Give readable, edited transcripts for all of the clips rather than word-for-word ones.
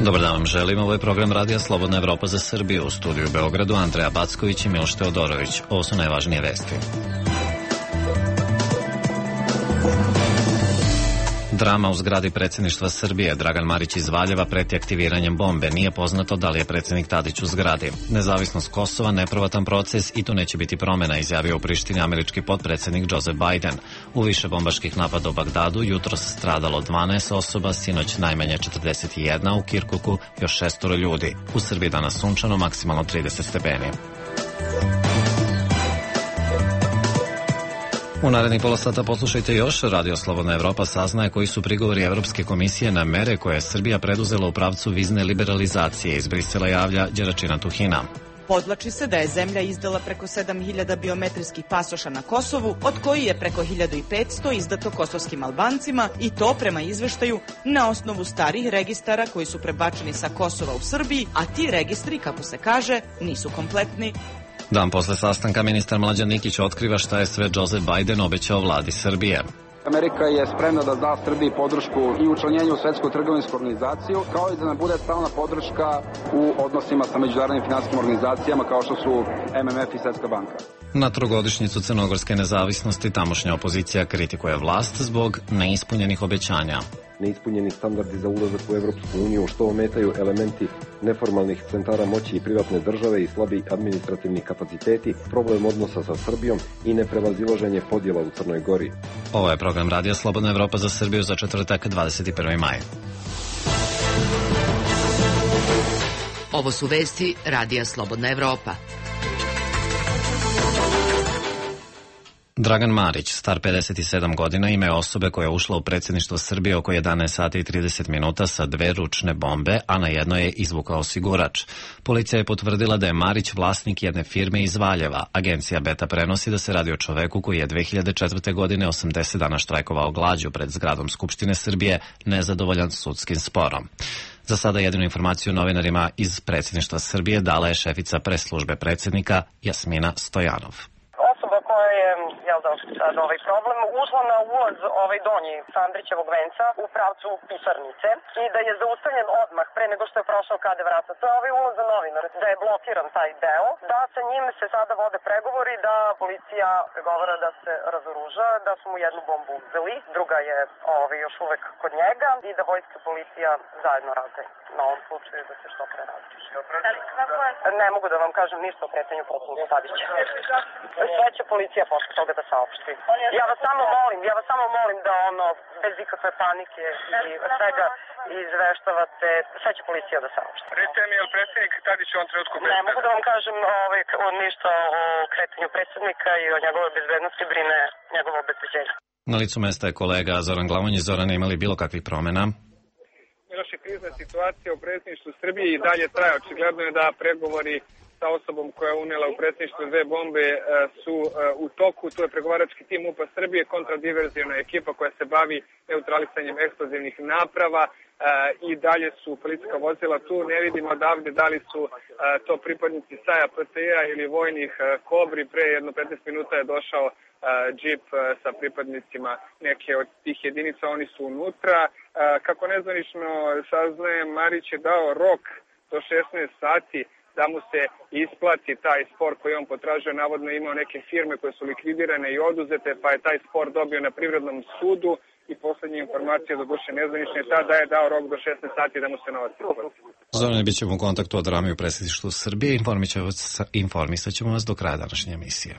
Dobar dan vam želim, ovo je program Radija Slobodna Evropa za Srbiju. U studiju u Beogradu Andreja Backović i Miloš Teodorović. Ovo su najvažnije vesti. Drama u zgradi predsjedništva Srbije. Dragan Marić iz Valjeva preti aktiviranjem bombe. Nije poznato da li je predsjednik Tadić u zgradi. Nezavisnost Kosova, neprovatan proces i tu neće biti promjena, izjavio u Prištini američki potpredsjednik Joseph Biden. U više bombaških napada u Bagdadu jutros stradalo 12 osoba, sinoć najmanje 41, u Kirkuku još 6 ljudi. U Srbiji danas sunčano, maksimalno 30 stepeni. U narednih pola sata poslušajte još. Radio Slobodna Evropa saznaje koji su prigovori Evropske komisije na mere koje je Srbija preduzela u pravcu vizne liberalizacije. Iz Brisela javlja Đeračina Tuhina. Podvlači se da je zemlja izdala preko 7000 biometrijskih pasoša na Kosovu, od koji je preko 1500 izdato kosovskim Albancima, i to prema izveštaju na osnovu starih registara koji su prebačeni sa Kosova u Srbiji, a ti registri, kako se kaže, nisu kompletni. Dan posle sastanka ministar Mlađan Nikić otkriva šta je sve Joseph Biden obećao vladi Srbije. Amerika je spremna da da Srbiji podršku i učlanjenju u Svetsku trgovinsku organizaciju, kao i da nam bude stalna podrška u odnosima sa međunarodnim finansijskim organizacijama kao što su MMF i Svetska banka. Na trogodišnjicu crnogorske nezavisnosti tamošnja opozicija kritikuje vlast zbog neispunjenih obećanja. Neispunjeni standardi za ulazak u Evropsku uniju, što ometaju elementi neformalnih centara moći i privatne države i slabi administrativni kapaciteti, problem odnosa sa Srbijom i neprevazilaženje podjela u Crnoj Gori. Ovo je program Radija Slobodna Evropa za Srbiju za četvrtak 21. maj. Ovo su vesti Radija Slobodna Evropa. Dragan Marić, star 57 godina, ime osobe koja je ušla u predsjedništvo Srbije oko 11 sati i 30 minuta sa 2 ručne bombe, a na jednoj je izvukao osigurač. Policija je potvrdila da je Marić vlasnik jedne firme iz Valjeva. Agencija Beta prenosi da se radi o čoveku koji je 2004. godine 80 dana štrajkovao glađu pred zgradom Skupštine Srbije, nezadovoljan sudskim sporom. Za sada jedinu informaciju novinarima iz predsjedništva Srbije dala je šefica pres službe predsjednika Jasmina Stojanov. Ovaj problem ušla na ulaz donji sa Andrićevog venca u pravcu pisarnice i da je zaustavljen odmah pre nego što je prošao KD vrata. To je ulaz za novinar, da je blokiran taj deo, da sa njim se sada vode pregovori, da policija pregovara da se razoruža, da su mu jednu bombu uzeli, druga je još uvek kod njega i da vojska i policija zajedno rade na ovom slučaju da se što pre razreši. Ne mogu da vam kažem ništa o kretanju predsjednika Tadića. Sve će policija posle toga da saopšti. Ja vas samo molim da bez ikakve panike i svega izveštavate, sve će policija da saopšti. Recite mi, je li predsjednik Tadić u ovom trenutku bezbedan? Ne mogu da vam kažem ništa o kretanju predsjednika i o njegove bezbednosti, brine njegovo obezbeđenje. Na licu mesta je kolega Zoran Glavonjić. Zoran, imali bilo kakvih promjena? Miloš, krizna situacija u predsjedništvu Srbije i dalje traje. Očigledno je da pregovori sa osobom koja je unijela u predsjedništvo 2 bombe su u toku. Tu je pregovarački tim MUP-a Srbije, kontradiverzijona ekipa koja se bavi neutralisanjem eksplozivnih naprava i dalje su policijska vozila tu. Ne vidimo odavde da li su to pripadnici SAJ-a, PTI-a ili vojnih Kobri. Pre jedno 15 minuta je došao džip sa pripadnicima neke od tih jedinica, oni su unutra. Kako nezvanično saznajem, Marić je dao rok do 16 sati da mu se isplati taj spor koji on potražuje. Navodno imao neke firme koje su likvidirane i oduzete, pa je taj spor dobio na privrednom sudu i posljednje informacije do duše nezvanične tada je dao rok do 16 sati da mu se novac isplati. Zorane, bit ćemo u kontaktu od drame u predsjedništvu Srbije. Informisat ćemo vas do kraja današnje emisije.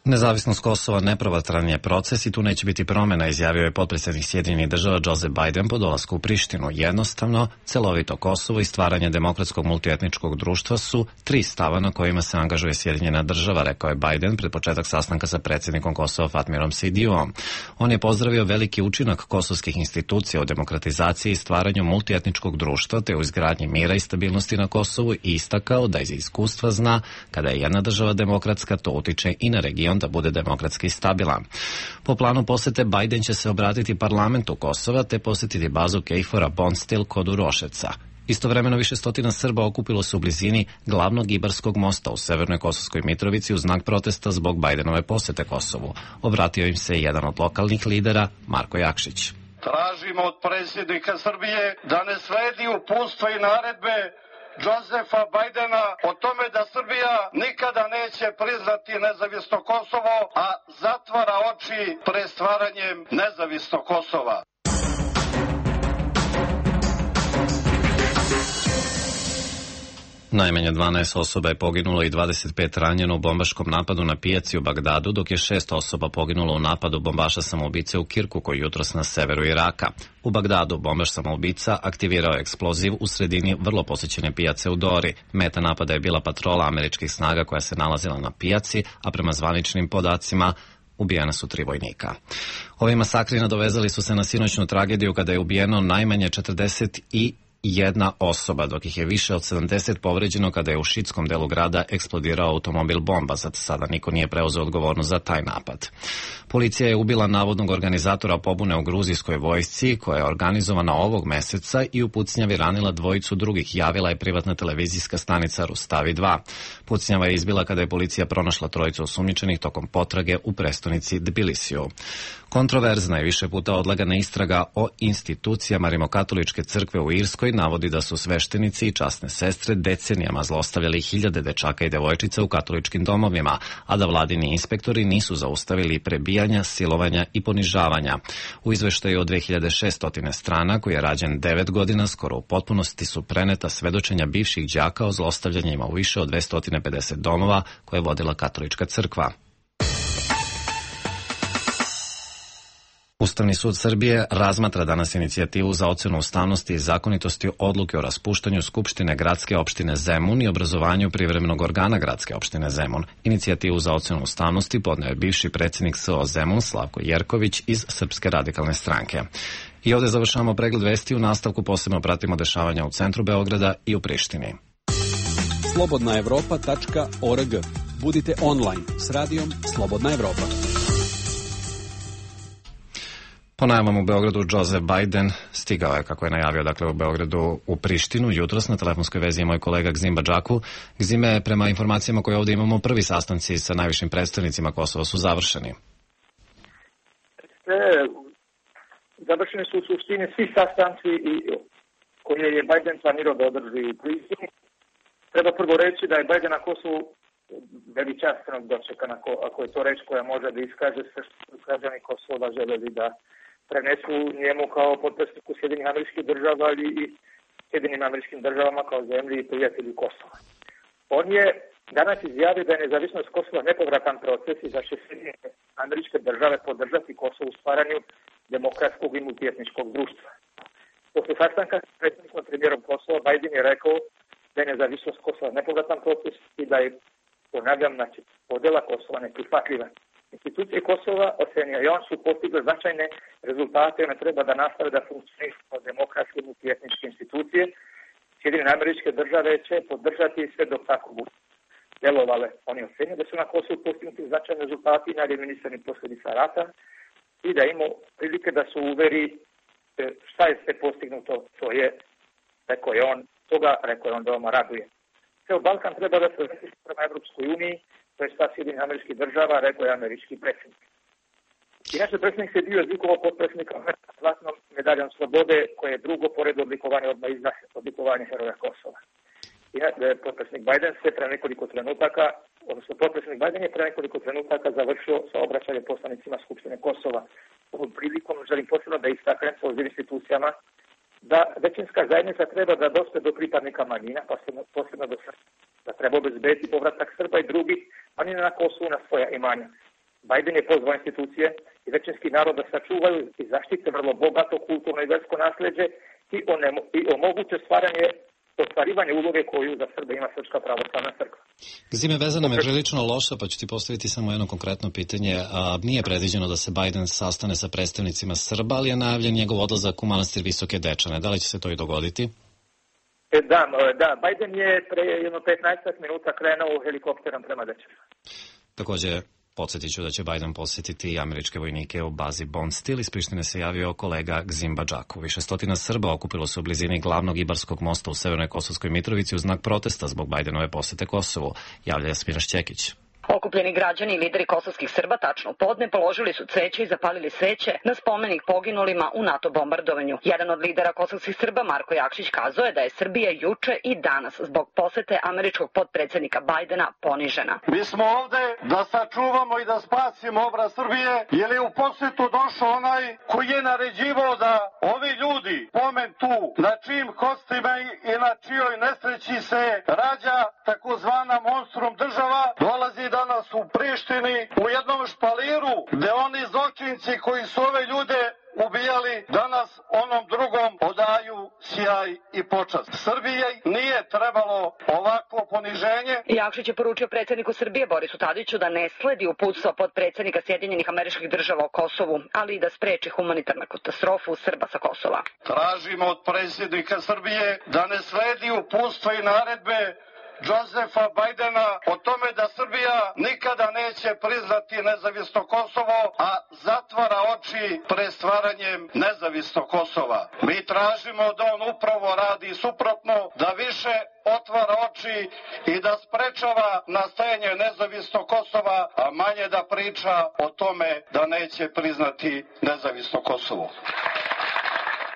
Nezavisnost Kosova neprovratran je proces i tu neće biti promjena, izjavio je potpredsjednik Sjedinjenih Država Joseph Biden po dolasku u Prištinu. Jednostavno, celovito Kosovo i stvaranje demokratskog multietničkog društva su 3 stava na kojima se angažuje Sjedinjena Država, rekao je Biden pred početak sastanka sa predsjednikom Kosova Fatmirom Sidijuom. On je pozdravio veliki učinak kosovskih institucija u demokratizaciji i stvaranju multietničkog društva te u izgradnji mira i stabilnosti na Kosovu i istakao da iz iskustva zna kada je jedna država demokratska, to utiče i na region da bude demokratski stabilan. Po planu posete Biden će se obratiti parlamentu Kosova te posjetiti bazu KFOR-a Bonstil kod Uroševca. Istovremeno više stotina Srba okupilo se u blizini glavnog Ibarskog mosta u severnoj Kosovskoj Mitrovici u znak protesta zbog Bidenove posete Kosovu. Obratio im se jedan od lokalnih lidera, Marko Jakšić. Tražimo od predsjednika Srbije da ne sledi uputstva i naredbe Josefa Bajdena o tome da Srbija nikada neće priznati nezavisno Kosovo, a zatvara oči pred stvaranjem nezavisnog Kosova. Najmanje 12 osoba je poginulo i 25 ranjeno u bombaškom napadu na pijaci u Bagdadu, dok je 6 osoba poginulo u napadu bombaša samoubice u Kirkuku jutros na severu Iraka. U Bagdadu bombaš samoubica aktivirao eksploziv u sredini vrlo posjećene pijace u Dori. Meta napada je bila patrola američkih snaga koja se nalazila na pijaci, a prema zvaničnim podacima ubijena su 3 vojnika. Ovi masakri nadovezali su se na sinoćnu tragediju kada je ubijeno najmanje 41 osoba, dok ih je više od 70 povređeno kada je u šiitskom delu grada eksplodirao automobil bomba. Zato sada niko nije preuzeo odgovornost za taj napad. Policija je ubila navodnog organizatora pobune u gruzijskoj vojsci, koja je organizovana ovog meseca, i u pucnjavi ranila 2 drugih, javila je privatna televizijska stanica Rustavi 2. Pucnjava je izbila kada je policija pronašla 3 osumnjičenih tokom potrage u prestonici Tbilisiju. Kontroverzna i više puta odlagana istraga o institucijama Rimokatoličke crkve u Irskoj navodi da su sveštenici i časne sestre decenijama zlostavljali hiljade dečaka i devojčica u katoličkim domovima, a da vladini inspektori nisu zaustavili prebijanja, silovanja i ponižavanja. U izveštaju od 2600 strana, koji je rađen 9 godina, skoro u potpunosti su preneta svedočenja bivših đaka o zlostavljanjima u više od 250 domova koje je vodila katolička crkva. Ustavni sud Srbije razmatra danas inicijativu za ocenu ustavnosti i zakonitosti odluke o raspuštanju Skupštine gradske opštine Zemun i obrazovanju privremenog organa gradske opštine Zemun. Inicijativu za ocenu ustavnosti podneo je bivši predsjednik SO Zemun Slavko Jerković iz Srpske radikalne stranke. I ovdje završavamo pregled vesti. U nastavku posebno pratimo dešavanja u centru Beograda i u Prištini. slobodnaevropa.org. Budite online s radijom Slobodna Evropa. Po najavama u Beogradu, Joseph Biden stigao je, kako je najavio, dakle u Beogradu u Prištinu. Jutros na telefonskoj vezi je moj kolega Gzim Badžaku. Gzime, prema informacijama koje ovdje imamo, prvi sastanci sa najvišim predstavnicima Kosova su završeni. Završeni su u suštini svi sastanci koje je Biden planirao da održi u Prištini. Treba prvo reći da je Biden na Kosovu veličanstvenog dočekana, ako je to reč koja može da iskaže sve što građani Kosova želeli da prenesu njemu kao potpredsjedniku Sjedinjenih Američkih Država, ali i Sjedinjenim Američkim Državama kao zemlji i prijatelji Kosova. On je danas izjavio da je nezavisnost Kosova nepovratan proces i da će Sjedinjene Američke Države podržati Kosovo u stvaranju demokratskog i multietničkog društva. Posle sastanka s predsjednikom premijerom Kosova, Biden je rekao da je nezavisnost Kosova nepovratan proces i da je, ponavljam, znači, podela Kosova neprihvatljiva. Institucije Kosova, ocenio i on, su postigle značajne rezultate i one treba da nastave da funkcionišu kao demokratske multietničke institucije. Sjedinjene Američke Države će podržati sve dok tako budu delovale. Oni ocenio da su na Kosovu postignuti značajni rezultati i najeliminirani posljedica rata i da imaju prilike da se uveri šta je sve postignuto. To je, rekao je on veoma raduje. Ceo Balkan treba da se vrati prema Evropskoj uniji, to je stav Sjedinjenih Američkih Država, rekao je američki predsjednik. Inače, predsjednik se dio odlikovao potpredsjednika zlatnom medaljom slobode, koje je drugo pored odlikovanja odmah iza odlikovanja Heroja Kosova. Potpredsjednik Biden se pre nekoliko trenutaka, odnosno potpredsjednik Biden je pre nekoliko trenutaka završio sa obraćanjem poslanicima Skupštine Kosova. Ovom prilikom želim posebno da istaknem sa ovim institucijama da većinska zajednica treba da dospe do pripadnika manjina, posebno do Srba, da treba obezbediti povratak Srba i drugih manjina na Kosovu na svoja imanja. Biden je pozvao institucije i većinski narod da sačuvaju i zaštite vrlo bogato kulturno i versko nasleđe i omoguće ostvarivanje uloge koju za Srbe ima Srpska pravoslavna crkva. Zime, vezana me prilično loša, pa ću ti postaviti samo jedno konkretno pitanje. Nije predviđeno da se Biden sastane sa predstavnicima Srba, ali je najavljen njegov odlazak u manastir Visoke Dečane. Da li će se to i dogoditi? Da, Biden je pre jedno 15 minuta krenuo helikopterom prema Dečanu. Također, podsjetit ću da će Biden posjetiti američke vojnike u bazi Bondsteel. Iz Prištine se javio kolega Gzim Badžaku. Više stotina Srba okupilo se u blizini glavnog Ibarskog mosta u Severnoj Kosovskoj Mitrovici u znak protesta zbog Bidenove posete Kosovu. Javlja Jasmina Šćekić. Okupljeni građani i lideri kosovskih Srba tačno u podne položili su cveće i zapalili sveće na spomenik poginulima u NATO bombardovanju. Jedan od lidera kosovskih Srba, Marko Jakšić, kazao je da je Srbija juče i danas zbog posete američkog potpredsjednika Bajdena ponižena. Mi smo ovde da sačuvamo i da spasimo obraz Srbije, jer je u posetu došao onaj koji je naređivao da ovi ljudi, pomen tu, na čijim kostima i na čijoj nesreći se rađa takozvana monstrum država, dolazi danas u Prištini u jednom špaliru gde oni zločinci koji su ove ljude ubijali danas onom drugom odaju sjaj i počast. Srbije nije trebalo ovakvo poniženje. Jakšić je poručio predsjedniku Srbije Borisu Tadiću da ne sledi uputstvo potpredsjednika Sjedinjenih Američkih Država o Kosovu, ali i da spreči humanitarnu katastrofu Srba sa Kosova. Tražimo od predsjednika Srbije da ne sledi uputstva i naredbe Josefa Bajdena o tome da Srbija nikada neće priznati nezavisno Kosovo, a zatvara oči pred stvaranjem nezavisnog Kosova. Mi tražimo da on upravo radi suprotno, da više otvara oči i da sprečava nastajanje nezavisnog Kosova, a manje da priča o tome da neće priznati nezavisno Kosovo.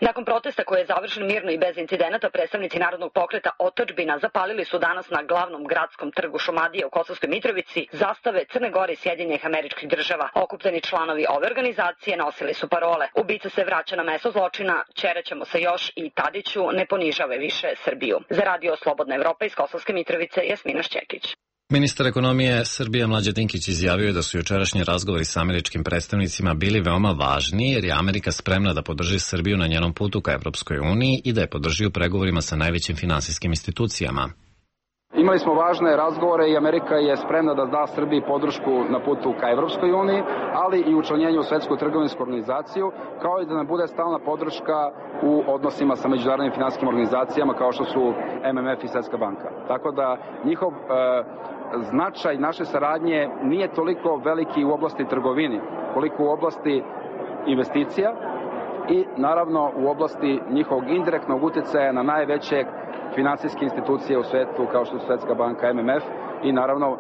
Nakon protesta koji je završen mirno i bez incidenata, predstavnici Narodnog pokreta Otadžbina zapalili su danas na glavnom gradskom trgu Šumadije u Kosovskoj Mitrovici zastave Crne Gore i Sjedinjenih Američkih Država. Okupljeni članovi ove organizacije nosili su parole: ubica se vraća na mesto zločina, ćeraćemo se još i Tadiću, ne ponižave više Srbiju. Za Radio Slobodna Evropa iz Kosovske Mitrovice, Jasmina Šćekić. Ministar ekonomije Srbije Mlađan Dinkić izjavio je da su jučerašnji razgovori sa američkim predstavnicima bili veoma važni jer je Amerika spremna da podrži Srbiju na njenom putu ka Evropskoj uniji i da je podrži u pregovorima sa najvećim finansijskim institucijama. Imali smo važne razgovore i Amerika je spremna da da Srbiji podršku na putu ka Evropskoj uniji, ali i učlanjenju u Svetsku trgovinsku organizaciju, kao i da nam bude stalna podrška u odnosima sa međunarodnim finansijskim organizacijama kao što su MMF i Svetska banka. Tako da njihov značaj naše saradnje nije toliko veliki u oblasti trgovini, koliko u oblasti investicija i naravno u oblasti njihovog indirektnog uticaja na najveće finansijske institucije u svetu kao što su Svetska banka, MMF i naravno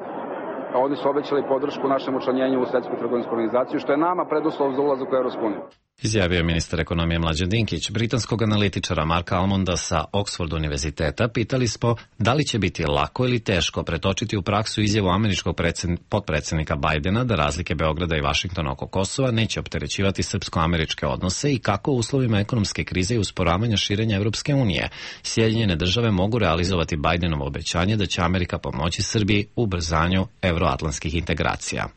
oni su obećali podršku našem učlanjenju u Svetsku trgovinsku organizaciju, što je nama preduslov za ulazak u Evropsku uniju. Izjavio je ministar ekonomije Mlađan Dinkić. Britanskog analitičara Marka Almonda sa Oxford univerziteta pitali smo da li će biti lako ili teško pretočiti u praksu izjavu američkog potpredsjednika Bajdena da razlike Beograda i Vašingtona oko Kosova neće opterećivati srpsko-američke odnose i kako u uslovima ekonomske krize i usporavanja širenja Evropske unije Sjedinjene države mogu realizovati Bajdenovo obećanje da će Amerika pomoći Srbiji u ubrzanju evroatlantskih integracija.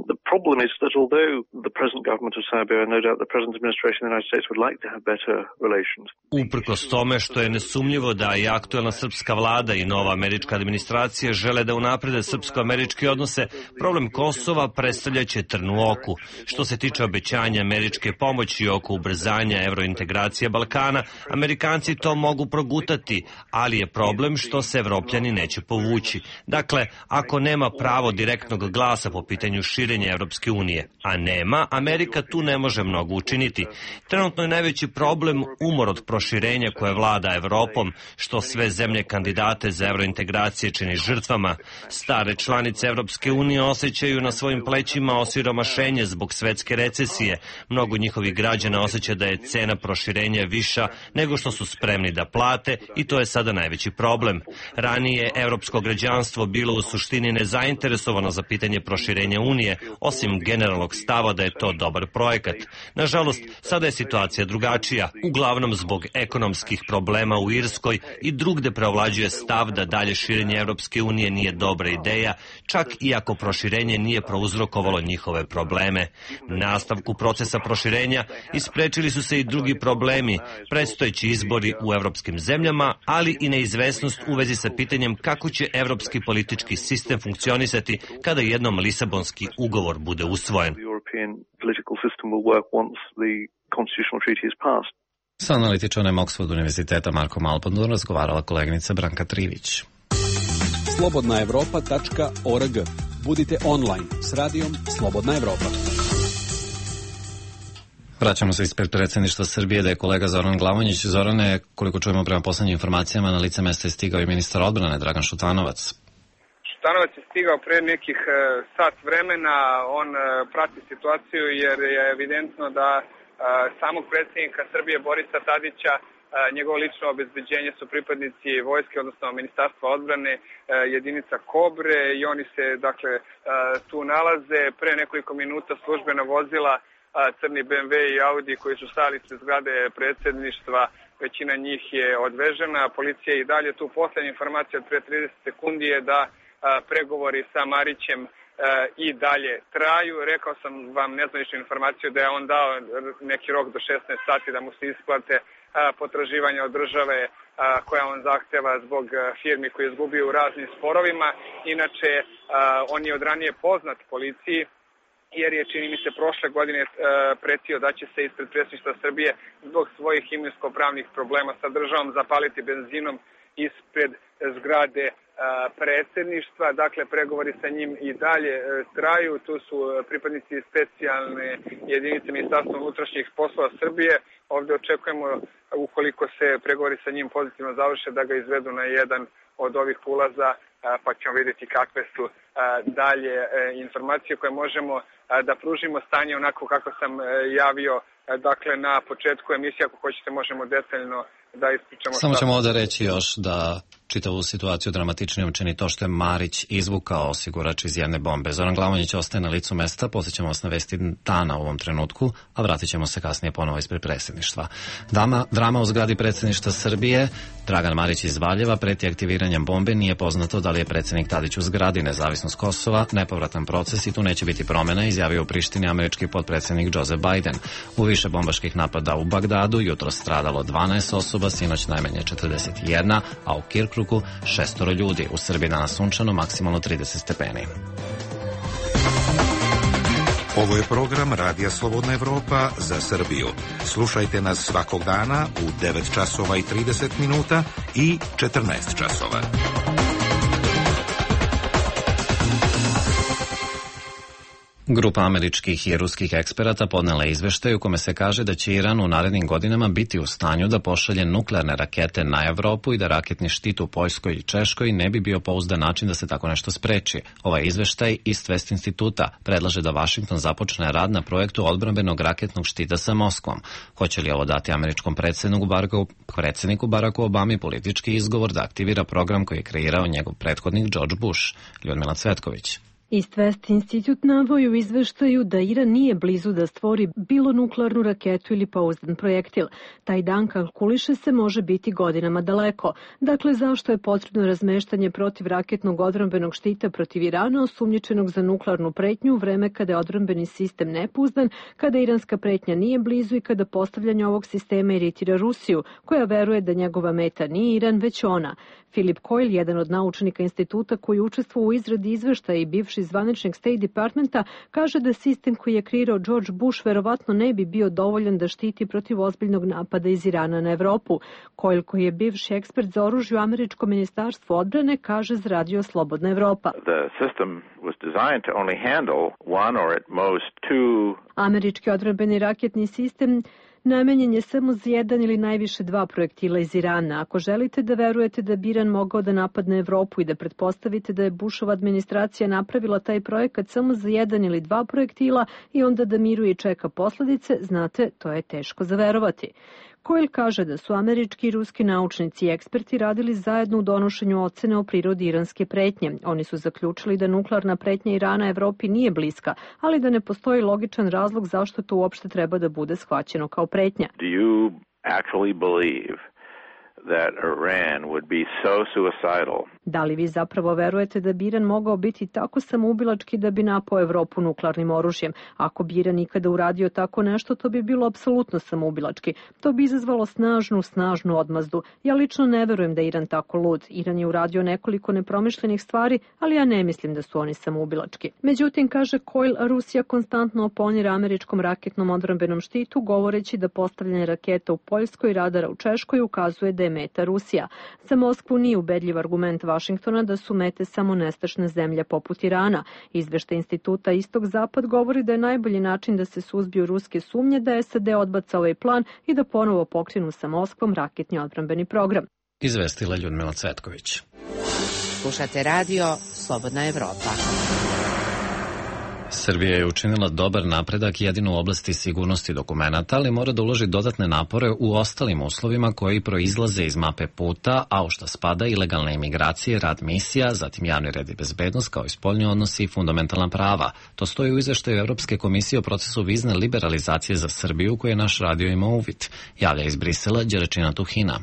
The problem is that although the present government of Serbia and no doubt the present administration of the United States would like to have better relations. Uprkos tome što je nesumnjivo da i aktuelna srpska vlada i nova američka administracija žele da unaprede srpsko-američke odnose, problem Kosova predstavljaće trn u oku. Što se tiče obećanja američke pomoći oko ubrzanja evrointegracije Balkana, Amerikanci to mogu progutati, ali je problem što se Evropljani neće povući. Dakle, ako nema pravo direktnog glasa po pitanju širenja Evropske unije, a nema, Amerika tu ne može mnogo učiniti. Trenutno je najveći problem umor od proširenja koje vlada Evropom, što sve zemlje kandidate za evrointegracije čini žrtvama. Stare članice Evropske unije osjećaju na svojim plećima osiromašenje zbog svetske recesije. Mnogo njihovih građana osjeća da je cena proširenja viša nego što su spremni da plate i to je sada najveći problem. Ranije evropsko građanstvo bilo u suštini nezainteresovano za pitanje proširenja Unije, osim generalnog stava da je to dobar projekat. Nažalost, sada je situacija drugačija, uglavnom zbog ekonomskih problema u Irskoj i drugde preovlađuje stav da dalje širenje Evropske unije nije dobra ideja, čak i ako proširenje nije prouzrokovalo njihove probleme. Nastavku procesa proširenja isprečili su se i drugi problemi, predstojeći izbori u evropskim zemljama, ali i neizvesnost u vezi sa pitanjem kako će evropski politički sistem funkcionisati kada jednom Lisabonski ugovor bude usvojen. Sa analitičarem Oxford univerziteta Markom Alpondom razgovarala koleginica Branka Trivić. slobodnaevropa.org. Budite online s radijom Slobodna Evropa. Vraćamo se ispred predsjedništva Srbije da je kolega Zoran Glavonjić. Zorane, koliko čujemo prema poslednjim informacijama, na lice mesta je stigao i ministar odbrane Dragan Šutanovac. Šta Šutanovac je stigao pre nekih sat vremena, on prati situaciju jer je evidentno da samog predsjednika Srbije Borisa Tadića, njegovo lično obezbeđenje su pripadnici vojske, odnosno Ministarstva odbrane, jedinica Kobre i oni se dakle tu nalaze. Pre nekoliko minuta službena vozila, crni BMW i Audi koji su stali ispred zgrade predsjedništva, većina njih je odvežena, policija je i dalje tu. Poslednja informacija od pre 30 sekundi je da pregovori sa Marićem i dalje traju. Rekao sam vam nezvaničnu informaciju da je on dao neki rok do 16 sati da mu se isplate potraživanja od države koja on zahteva zbog firmi koje je izgubio u raznim sporovima. Inače, on je od ranije poznat policiji jer je, čini mi se, prošle godine pretio da će se ispred predsjedništva Srbije zbog svojih imovinsko-pravnih problema sa državom zapaliti benzinom ispred zgrade predsjedništva. Dakle, pregovori sa njim i dalje traju. Tu su pripadnici specijalne jedinice Ministarstva unutrašnjih poslova Srbije. Ovdje očekujemo, ukoliko se pregovori sa njim pozitivno završe, da ga izvedu na jedan od ovih ulaza, pa ćemo vidjeti kakve su dalje informacije koje možemo da pružimo. Stanje onako kako sam javio, dakle, na početku emisije, ako hoćete možemo detaljno da ispričamo. Samo ćemo ovdje reći još da čitavu situaciju dramatičnijom čini to što je Marić izvukao osigurač iz jedne bombe. Zoran Glavonjić ostaje na licu mesta, posjećamo vas na vesti dana u ovom trenutku, a vratit ćemo se kasnije ponovo ispred predsjedništva. Drama u zgradi predsjedništva Srbije. Dragan Marić iz Valjeva preti aktiviranjem bombe. Nije poznato da li je predsjednik Tadić u zgradi. Nezavisnost Kosova, nepovratan proces i tu neće biti promjena, izjavio u Prištini američki potpredsjednik Joseph Biden. U više bombaških napada u Bagdadu jutro stradalo 12 osoba, sinoć najmanje 41, a u Kirkruku 6 ljudi. U Srbiji danas sunčano, maksimalno 30 stepeni. Ovo je program Radija Slobodna Evropa za Srbiju. Slušajte nas svakog dana u 9 časova i 30 minuta i 14 časova. Grupa američkih i ruskih eksperata podnela je izveštaj u kome se kaže da će Iran u narednim godinama biti u stanju da pošalje nuklearne rakete na Evropu i da raketni štit u Poljskoj i Češkoj ne bi bio pouzdan način da se tako nešto spreči. Ovaj izveštaj East West instituta predlaže da Vašington započne rad na projektu odbrambenog raketnog štita sa Moskvom. Hoće li ovo dati američkom predsjedniku Baracku Obami politički izgovor da aktivira program koji je kreirao njegov prethodnik George Bush? Ljudmila Cvetković. East West institut navodi u izveštaju da Iran nije blizu da stvori bilo nuklearnu raketu ili pouzdan projektil. Taj dan, kalkuliše se, može biti godinama daleko. Dakle, zašto je potrebno razmeštanje protivraketnog odbrambenog štita protiv Irana osumnjičenog za nuklearnu pretnju u vreme kada je odbrambeni sistem nepouzdan, kada iranska pretnja nije blizu i kada postavljanje ovog sistema iritira Rusiju, koja veruje da njegova meta nije Iran, već ona. Philip Coyle, jedan od naučnika instituta koji učestvuje u izradi izveštaja i bivši zvaničnik State Departmenta, kaže da sistem koji je kreirao George Bush verovatno ne bi bio dovoljan da štiti protiv ozbiljnog napada iz Irana na Evropu. Coyle, koji je bivši ekspert za oružje u američkom ministarstvu odbrane, kaže za Radio Slobodna Evropa. Američki odbrambeni raketni sistem namenjen je samo za jedan ili najviše 2 projektila iz Irana. Ako želite da verujete da bi Iran mogao da napadne Evropu i da pretpostavite da je Bushova administracija napravila taj projekat samo za 1 ili 2 projektila i onda da miruje i čeka posledice, znate, to je teško za verovati. Coyle kaže da su američki i ruski naučnici i eksperti radili zajedno u donošenju ocene o prirodi iranske pretnje. Oni su zaključili da nuklearna pretnja Irana Evropi nije bliska, ali da ne postoji logičan razlog zašto to uopšte treba da bude shvaćeno kao pretnja. Do you actually believe that Iran would be so suicidal? Da li vi zapravo verujete da bi Iran mogao biti tako samoubilački da bi napao Evropu nuklearnim oružjem? Ako bi Iran nikada uradio tako nešto, to bi bilo apsolutno samoubilački. To bi izazvalo snažnu odmazdu. Ja lično ne verujem da je Iran tako lud. Iran je uradio nekoliko nepromišljenih stvari, ali ja ne mislim da su oni samoubilački. Međutim, kaže Coyle, Rusija konstantno oponira američkom raketnom odbrambenom štitu, govoreći da postavljanje raketa u Poljskoj i radara u Češkoj ukazuje da je meta Rusija. Za Moskvu nije ubedljiv argument Vašingtona da su mete samo nestašne zemlje poput Irana. Izveštaj instituta Istok-Zapad govori da je najbolji način da se suzbiju ruske sumnje da SAD odbaca ovaj plan i da ponovo pokrenu sa Moskvom raketni odbrambeni program. Izvestila Ljudmila Cvetković. Slušate radio Slobodna Evropa. Srbija je učinila dobar napredak jedino u oblasti sigurnosti dokumenata, ali mora da uloži dodatne napore u ostalim uslovima koji proizlaze iz mape puta, a u šta spada ilegalne imigracije, rad misija, zatim javni red i bezbednost, kao i spoljni odnosi i fundamentalna prava. To stoji u izveštaju Evropske komisije o procesu vizne liberalizacije za Srbiju, koji je naš radio imao uvid. Javlja iz Brisela Đeračina Tuhina.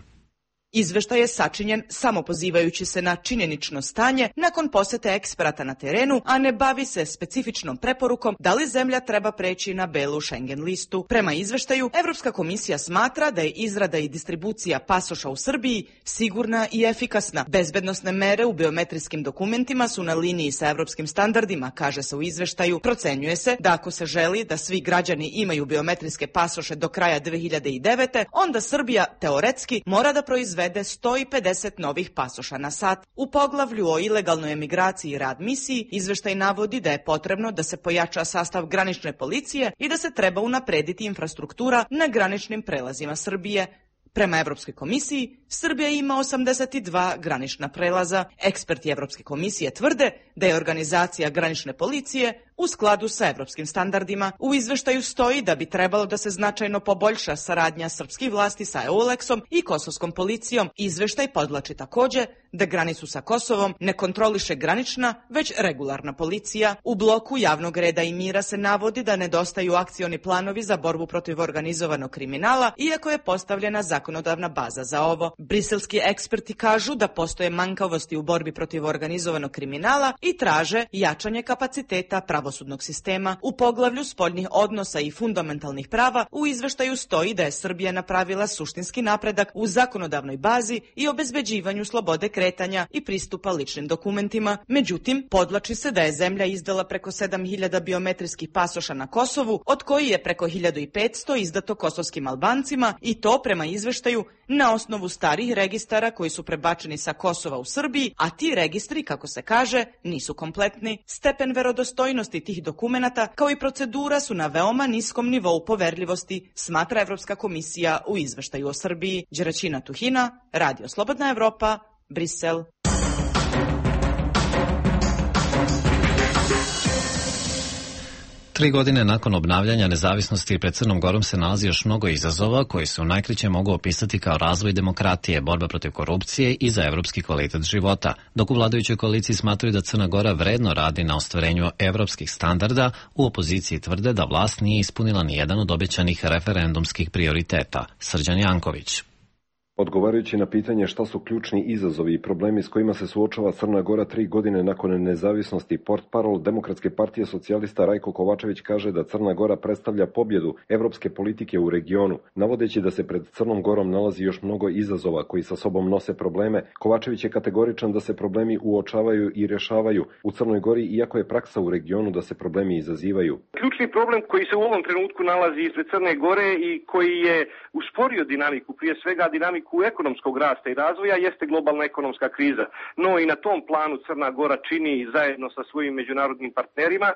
Izveštaj je sačinjen samo pozivajući se na činjenično stanje nakon posete eksperata na terenu, a ne bavi se specifičnom preporukom da li zemlja treba preći na belu Schengen listu. Prema izveštaju, Evropska komisija smatra da je izrada i distribucija pasoša u Srbiji sigurna i efikasna. Bezbednosne mere u biometrijskim dokumentima su na liniji sa evropskim standardima, kaže se u izveštaju. Procenjuje se da ako se želi da svi građani imaju biometrijske pasoše do kraja 2009. onda Srbija teoretski mora da proizvede 150 novih pasoša na sat. U poglavlju o ilegalnoj emigraciji i rad misiji izveštaj navodi da je potrebno da se pojača sastav granične policije i da se treba unaprediti infrastruktura na graničnim prelazima Srbije. Prema Evropskoj komisiji, Srbija ima 82 granična prelaza. Eksperti Evropske komisije tvrde da je organizacija granične policije u skladu sa evropskim standardima. U izveštaju stoji da bi trebalo da se značajno poboljša saradnja srpskih vlasti sa EULEX-om i kosovskom policijom. Izveštaj podvlači takođe da granicu sa Kosovom ne kontroliše granična, već regularna policija. U bloku javnog reda i mira se navodi da nedostaju akcioni planovi za borbu protiv organizovanog kriminala, iako je postavljena zakonodavna baza za ovo. Briselski eksperti kažu da postoje manjkavosti u borbi protiv organizovanog kriminala i traže jačanje kapaciteta pravosudnog sistema. U poglavlju spoljnih odnosa i fundamentalnih prava u izveštaju stoji da je Srbija napravila suštinski napredak u zakonodavnoj bazi i obezbeđivanju slobode kretanja i pristupa ličnim dokumentima. Međutim, podvlači se da je zemlja izdala preko 7000 biometrijskih pasoša na Kosovu, od koji je preko 1500 izdato kosovskim Albancima, i to prema izveštaju na osnovu starih registara koji su prebačeni sa Kosova u Srbiji, a ti registri, kako se kaže, nisu kompletni. Stepen verodostojnosti tih dokumenata kao i procedura su na veoma niskom nivou poverljivosti, smatra Evropska komisija u izveštaju o Srbiji. Đeračina Tuhina, Radio Slobodna Evropa, Brisel. Tri godine nakon obnavljanja nezavisnosti pred Crnom Gorom se nalazi još mnogo izazova koji se u najkraće mogu opisati kao razvoj demokratije, borba protiv korupcije i za evropski kvalitet života. Dok u vladajućoj koaliciji smatraju da Crna Gora vredno radi na ostvarenju evropskih standarda, u opoziciji tvrde da vlast nije ispunila ni jedan od obećanih referendumskih prioriteta. Srđan Janković. Odgovarajući na pitanje šta su ključni izazovi i problemi s kojima se suočava Crna Gora 3 godine nakon nezavisnosti, portparol Demokratske partije socijalista Rajko Kovačević kaže da Crna Gora predstavlja pobjedu evropske politike u regionu. Navodeći da se pred Crnom Gorom nalazi još mnogo izazova koji sa sobom nose probleme, Kovačević je kategoričan da se problemi uočavaju i rešavaju u Crnoj Gori, iako je praksa u regionu da se problemi izazivaju. Ključni problem koji se u ovom trenutku nalazi ispred Crne Gore i koji je usporio dinamiku, prije svega dinamiku ekonomskog rasta i razvoja, jeste globalna ekonomska kriza. No i na tom planu Crna Gora čini zajedno sa svojim međunarodnim partnerima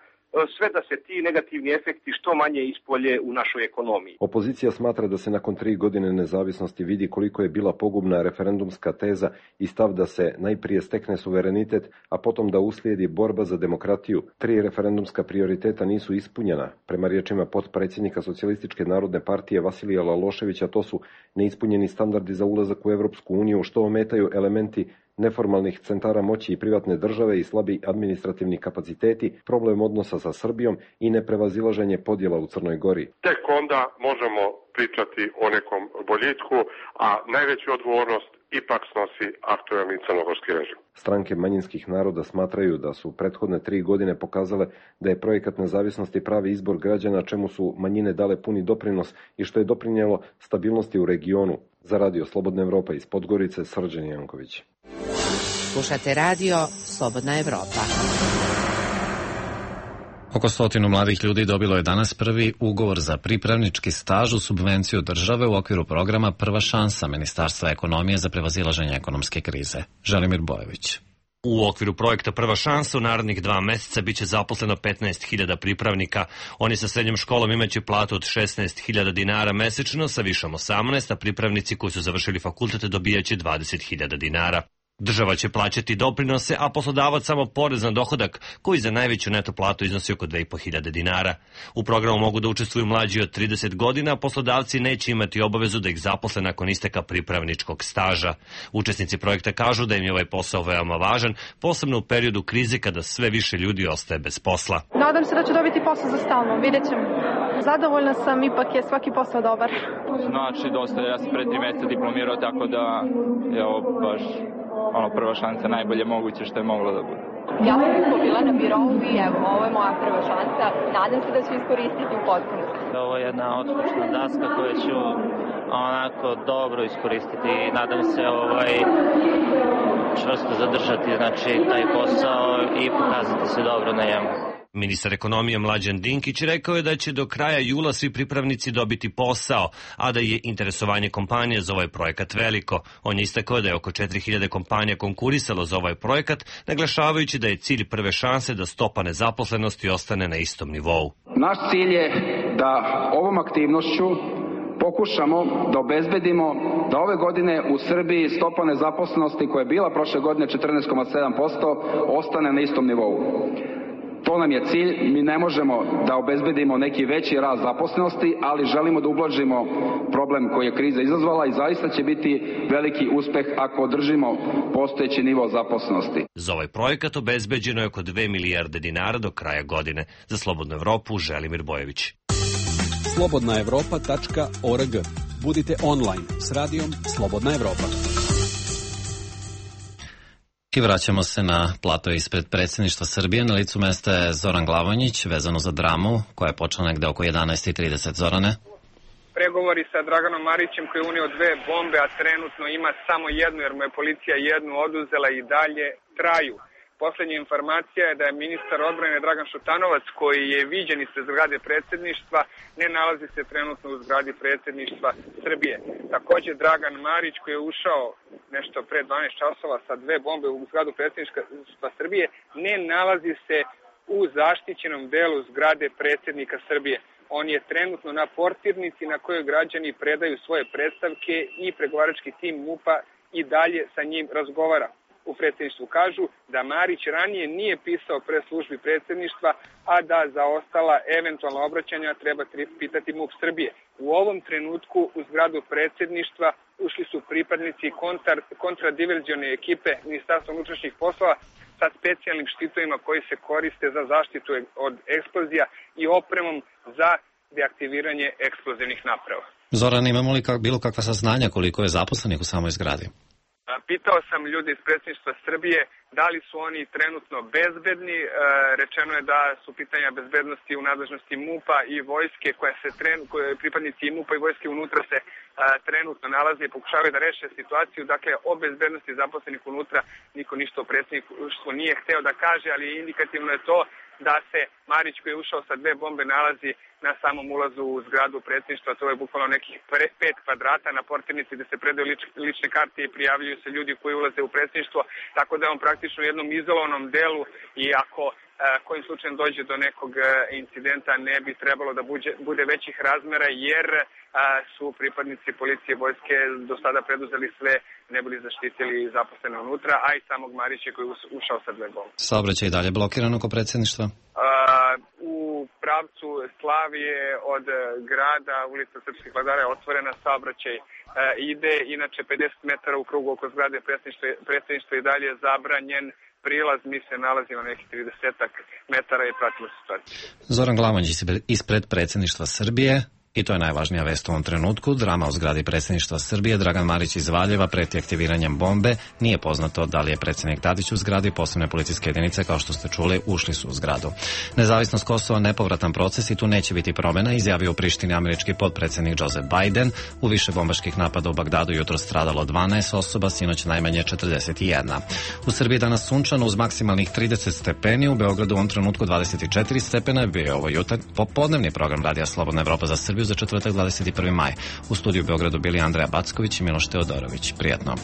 sve da se ti negativni efekti što manje ispolje u našoj ekonomiji. Opozicija smatra da se nakon 3 godine nezavisnosti vidi koliko je bila pogubna referendumska teza i stav da se najprije stekne suverenitet, a potom da uslijedi borba za demokratiju. 3 referendumska prioriteta nisu ispunjena. Prema riječima potpredsjednika Socijalističke narodne partije Vasilija Laloševića, to su neispunjeni standardi za ulazak u Evropsku uniju, što ometaju elementi neformalnih centara moći i privatne države i slabi administrativni kapaciteti, problem odnosa sa Srbijom i neprevazilaženje podjela u Crnoj Gori. Tek onda možemo pričati o nekom boljitku, a najveću odgovornost ipak snosi aktuelni crnogorski režim. Stranke manjinskih naroda smatraju da su prethodne 3 godine pokazale da je projekat nezavisnosti pravi izbor građana, čemu su manjine dale puni doprinos i što je doprinjelo stabilnosti u regionu. Za Radio Slobodna Evropa iz Podgorice, Srđan Janković. Slušate Radio Slobodna Evropa. Oko 100 mladih ljudi dobilo je danas prvi ugovor za pripravnički staž u subvenciju države u okviru programa Prva šansa Ministarstva ekonomije za prevazilaženje ekonomske krize. Želimir Bojević. U okviru projekta Prva šansa u narednih 2 meseca biće zaposleno 15.000 pripravnika. Oni sa srednjom školom imaće platu od 16.000 dinara mesečno, sa višom 18, a pripravnici koji su završili fakultete dobijaće 20.000 dinara. Država će plaćati doprinose, a poslodavac samo porez na dohodak, koji za najveću neto platu iznosi oko 2.500 dinara. U programu mogu da učestvuju mlađi od 30 godina, a poslodavci neće imati obavezu da ih zaposle nakon isteka pripravničkog staža. Učesnici projekta kažu da im je ovaj posao veoma važan, posebno u periodu krize kada sve više ljudi ostaje bez posla. Nadam se da ću dobiti posao za stalno, vidjet ćemo. Zadovoljna sam, ipak je svaki posao dobar. Znači, dosta, ja sam pre 3 mjeseca diplomirao, tako da je ovo baš prva šansa, najbolje moguće što je moglo da bude. Ja sam usko bila na birovu i evo, ovo je moja prva šansa. Nadam se da ću iskoristiti u potpunosti. Ovo je jedna odslušna daska koju ću onako dobro iskoristiti i nadam se čvrsto zadržati, znači, taj posao i pokazati se dobro na njemu. Ministar ekonomije Mlađan Dinkić rekao je da će do kraja jula svi pripravnici dobiti posao, a da je interesovanje kompanije za ovaj projekat veliko. On je istakao da je oko 4000 kompanija konkurisalo za ovaj projekat, naglašavajući da je cilj prve šanse da stopa nezaposlenosti ostane na istom nivou. Naš cilj je da ovom aktivnošću pokušamo da obezbedimo da ove godine u Srbiji stopa nezaposlenosti koja je bila prošle godine 14,7% ostane na istom nivou. To nam je cilj, mi ne možemo da obezbedimo neki veći rast zaposlenosti, ali želimo da ublažimo problem koji je kriza izazvala i zaista će biti veliki uspeh ako održimo postojeći nivo zaposlenosti. Za ovaj projekat obezbeđeno je oko 2 milijarde dinara do kraja godine. Za Slobodnu Evropu, Želimir Bojević. slobodnaevropa.org. Budite online s radijom Slobodna Evropa. I vraćamo se na plato ispred predsjedništva Srbije. Na licu mesta je Zoran Glavonjić, vezano za dramu koja je počela negde oko 11:30. Zorane? Pregovori sa Draganom Marićem koji je unio 2 bombe, a trenutno ima samo jednu jer mu je policija jednu oduzela i dalje traju. Poslednja informacija je da je ministar odbrane Dragan Šutanovac, koji je viđen ispred zgrade predsjedništva, ne nalazi se trenutno u zgradi predsjedništva Srbije. Takođe, Dragan Marić, koji je ušao nešto pre 12 časova sa 2 bombe u zgradu predsjedništva Srbije, ne nalazi se u zaštićenom delu zgrade predsjednika Srbije. On je trenutno na portirnici na kojoj građani predaju svoje predstavke i pregovarački tim MUP-a i dalje sa njim razgovara. U predsjedništvu kažu da Marić ranije nije pisao pre službi predsjedništva, a da za ostala eventualna obraćanja treba pitati MUP Srbije. U ovom trenutku u zgradu predsjedništva ušli su pripadnici kontradiverzione ekipe Ministarstva unutrašnjih poslova sa specijalnim štitovima koji se koriste za zaštitu od eksplozija i opremom za deaktiviranje eksplozivnih naprava. Zoran, imamo li bilo kakva saznanja koliko je zaposlenih u samoj zgradi? Pitao sam ljude iz predsjedništva Srbije da li su oni trenutno bezbedni. Rečeno je da su pitanja bezbednosti u nadležnosti MUP-a i vojske koje pripadnici i MUP-a i vojske unutra se trenutno nalaze i pokušavaju da reše situaciju. Dakle, o bezbednosti zaposlenih unutra niko ništa o predsjedništvu nije hteo da kaže, ali indikativno je to da se Marić koji je ušao sa 2 bombe nalazi na samom ulazu u zgradu predsjedništva. To je bukvalno nekih 5 kvadrata na portirnici gde se predaju lične karte i prijavljuju se ljudi koji ulaze u predsjedništvo, tako da je on praktično u jednom izolovanom delu i ako kojim slučajem dođe do nekog incidenta ne bi trebalo da bude većih razmera jer su pripadnici policije i vojske do sada preduzeli sve, ne bili zaštitili zaposlene unutra, a i samog Marića koji je ušao sa 2 bombe. Saobraćaj i dalje blokiran oko predsjedništva? U pravcu Slavije od grada, ulica Srpskih vladara je otvorena, saobraćaj ide, inače 50 metara u krugu oko zgrade predsjedništva i dalje je zabranjen prilaz, mi se nalazimo nekih 30 metara i pratimo situaciju. Zoran Glavonjić ispred predsjedništva Srbije. I to je najvažnija vest u ovom trenutku. Drama u zgradi predsjedništva Srbije. Dragan Marić iz Valjeva preti aktiviranjem bombe. Nije poznato da li je predsjednik Tadić u zgradi. Posebne policijske jedinice, kao što ste čuli, ušli su u zgradu. Nezavisnost Kosova nepovratan proces i tu neće biti promjena, izjavio u Prištini američki potpredsjednik Joseph Biden. U više bombaških napada u Bagdadu jutro stradalo 12 osoba, sinoć najmanje 41. U Srbiji danas sunčano uz maksimalnih 30 stepeni. U Beogradu u ovom trenutku 24 stepena. Bio je ovo popodnevni program Radija Slobodna Evropa za Srbiju za četvrtak 21. maj. U studiju u Beogradu bili Andreja Backović i Miloš Teodorović. Prijatno.